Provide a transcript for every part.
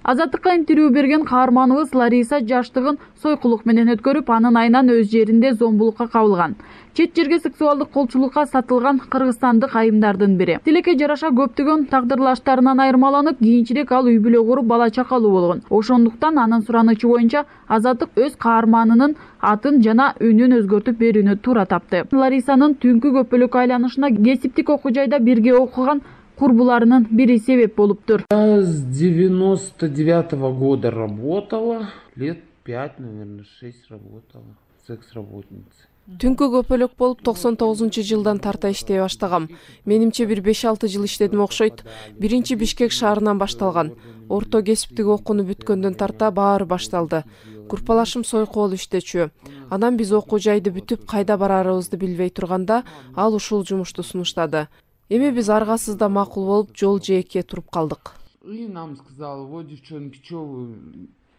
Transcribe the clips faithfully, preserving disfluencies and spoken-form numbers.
Азаттыкка интервью берген каарманыбыз Лариса жаштыгын сойкулук менен өткөрүп, анын айынан өз жеринде зомбулукка кабылган. Чет жерге сексуалдык колчулукка сатылган кыргызстандык айымдардын бири. Тилекке жараша көптөгөн тагдырлаштарынан айырмаланып, кийинчерээк ал үй бүлө куруп бала чакалуу болгон. Ошондуктан анын суранычы боюнча Азаттык өз каарманынын атын жана үнүн өзгөртүп берүүнү туура тапты. Ларисанын түнкү көпөлөк айланышына кесиптик окуу жайда бирге окуган курбуларынын бири себеп болуптур. С девяносто девятого года работала, лет пять, наверное, шесть работала, секс-работница. Түнкү көпөлөк болуп токсон тогузунчу жылдан тарта иштей баштагам. Менимче бир беш алты жыл иштедим окшойт. Биринчи Бишкек шаарынан башталган. Орто кесиптик окууну бүткөндөн тарта баары башталды. Курпалашым сойку болуп иштечү. Анан биз окуу жайды бүтүп кайда барарыбызды билбей турганда, ал ушул жумушту сунуштады. Эми биз аргасызда макул болуп жол жээкке туруп калдык. И нам сказала: "Вот, девчонки, что вы,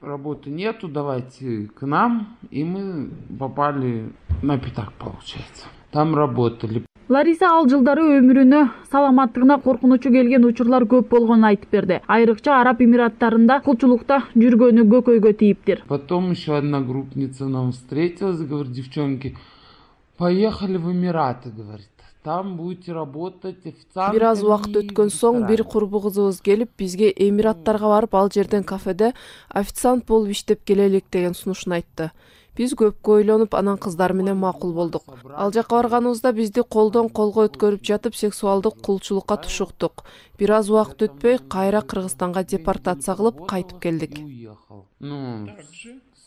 работы нету, давайте к нам". И мы попали на пятак, получается. Там работали. Лариса ал жылдары өмүрүнө, саламаттыгына коркунучу келген учурлар көп болгонун айтып берди. Айрыкча Араб Эмираттарында кулчулукта жүргөнү көкөйгө тийиптир. Потом еще одна группница нам встретилась, говорит: "Девчонки, поехали в Эмираты", говорит. Там будете работать официантами. Бир аз убакыт өткөн соң бир курбу кызыбыз келип, бизге Эмираттарга барып, ал жерден кафеде официант болуп иштеп келелик деген сунушун айтты. Биз көпкө ойлонуп, анан кыздар менен макул болдук. Ал жака барганыбызда бизди колдон колго өткөрүп жатып, сексуалдык кулчулукка тушуктук. Бир аз убакыт өтпөй, кайра Кыргызстанга депортация кылып кайтып келдик. Ну,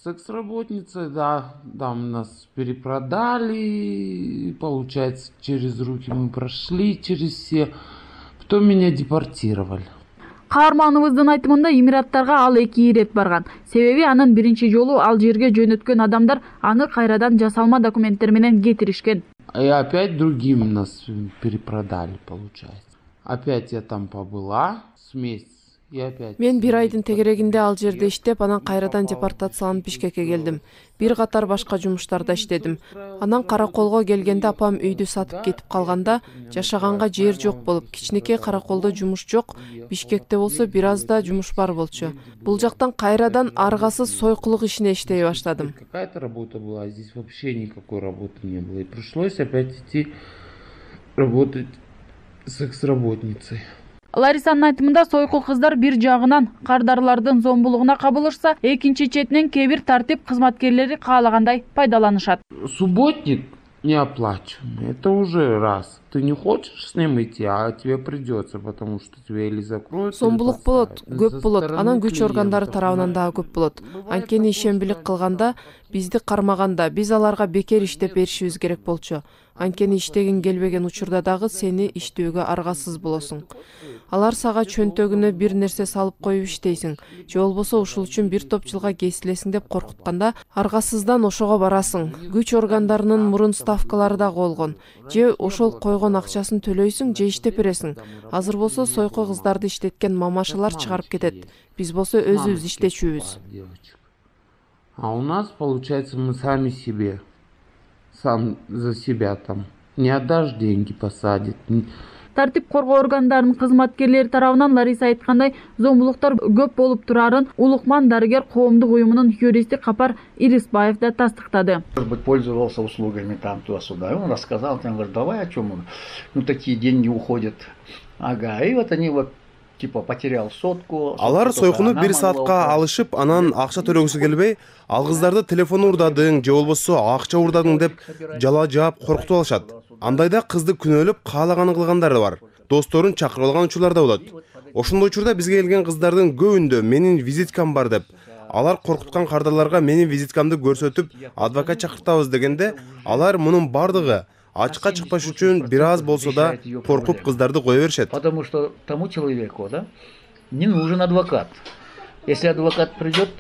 секс-работница, да, там нас перепродали, получается, через руки мы прошли, через все. Потом меня депортировали. Каарманыбыздын айтымында Эмираттарга ал эки ирет барган. Себеби анын биринчи жолу ал жерге жөнөткөн адамдар аны кайрадан жасалма документтер менен кетиришкен. И опять другим нас перепродали, получается. Опять я там побыла с месяц. Мен бир айдын тегерегинде ал жерде иштеп, анан кайрадан депортацияланып Бишкекке келдим. Бир катар башка жумуштарда иштедим. Анан Караколго келгенде апам үйдү сатып кетип калганда, жашаганга жер жок болуп, кичинекей Караколдо жумуш жок, Бишкекте болсо бир аз да жумуш бар болчу. Бул жактан кайрадан аргасыз сойкулук ишине иштей баштадым. Какая-то работа была, здесь вообще никакой работы не было. И пришлось опять идти работать секс-работницей. Ларисанын айтымында сойку кыздар бир жагынан кардарлардын зомбулугуна кабылышса, экинчи четинен кээ бир тартип кызматкерлери каалагандай пайдаланышат. Субботник неоплачиваемый, это уже раз. Ты не хочешь с ним идти, а тебе придется, потому что тебя или закроют. Зомбулук болот, көп болот, анан күч органдары тарабынан дагы көп болот. Анткени ишенбилик кылганда, бизди кармаганда, биз аларга бекер иштеп беришибиз керек болчу. Анткени иштегин келбеген учурда дагы сени иштөөгө аргасыз болосуң. Алар сага чөнтөгүнө бир нерсе салып коюп иштейсиң, же болбосо ушул үчүн бир топ жылга кесилесиң деп коркутканда, аргасыздан ошого барасың. Күч органдарынын мурун ставкалары да болгон. Же ошол койгон акчасын төлөйсүң, же иштеп бересиң. Азыр болсо сойку кыздарды иштеткен мамашалар чыгарып кетет. Биз болсо өзүбүз иштечүбүз. А у нас, получается, мы сами себе, сам за себя там. Не отдашь, деньги посадят. Тартип коргоо органдарынын кызматкерлери тарабынан Лариса айткандай, зомбулуктар көп болуп турарын Улукман дарыгер коомдук уюмунун юристи Капар Ирисбаев да тастыктады. Может быть, пользовался услугами там туда-сюда. Он рассказал, он говорит: "Давай, о чем он? Ну, такие деньги уходят". Ага, и вот они вот типа потерял сотку. Алар сойкуну бир саатка алышып, анан акча төлөгүсү келбей, ал кыздарды телефон урдадың, же болбосо акча урдадың деп жала жаап коркутуп алышат. Андайда кызды күнөөлөп каалаганын кылгандары бар. Досторун чакырып алган учурлар да болот. Ошондой учурда бизге келген кыздардын көбүндө менин визиткам бар деп, алар коркуткан кардарларга менин визиткамды көрсөтүп, адвокат чакыртабыз дегенде, алар мунун бардыгы ачыкка чыкпаш үчүн бир аз болсо да коркуп кыздарды кое беришет. Потому что тому человеку, да, не нужен адвокат. Если адвокат придет,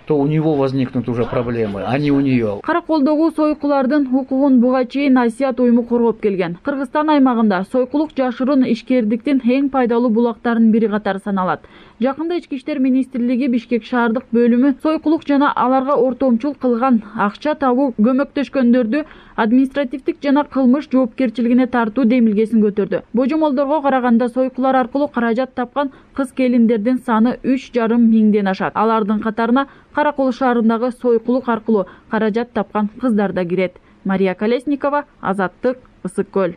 то у него возникнут уже проблемы, а не у нее. Караколдогу сойкулардын укугун буга чейин Асият уюму коргоп келген. Кыргызстан аймагында сойкулук жашыруун ишкердиктин эң пайдалуу булактарынын бири катары саналат. Жакында Ички иштер министрлиги Бишкек шаардык бөлүмү сойкулук жана аларга ортомчул кылган акча табуу көмөктөшкөндөрдү административдик жана кылмыш жоопкерчилигине тартуу демилгесин көтөрдү. Божомолдорго караганда сойкулар аркылуу каражат тапкан кыз келиндердин саны үч жарым миңден ашат. Алардын катарына Каракол шаарындагы сойкулук аркылуу каражат тапкан кыздар да кирет. Мария Колесникова, Азаттык, Ысык көл.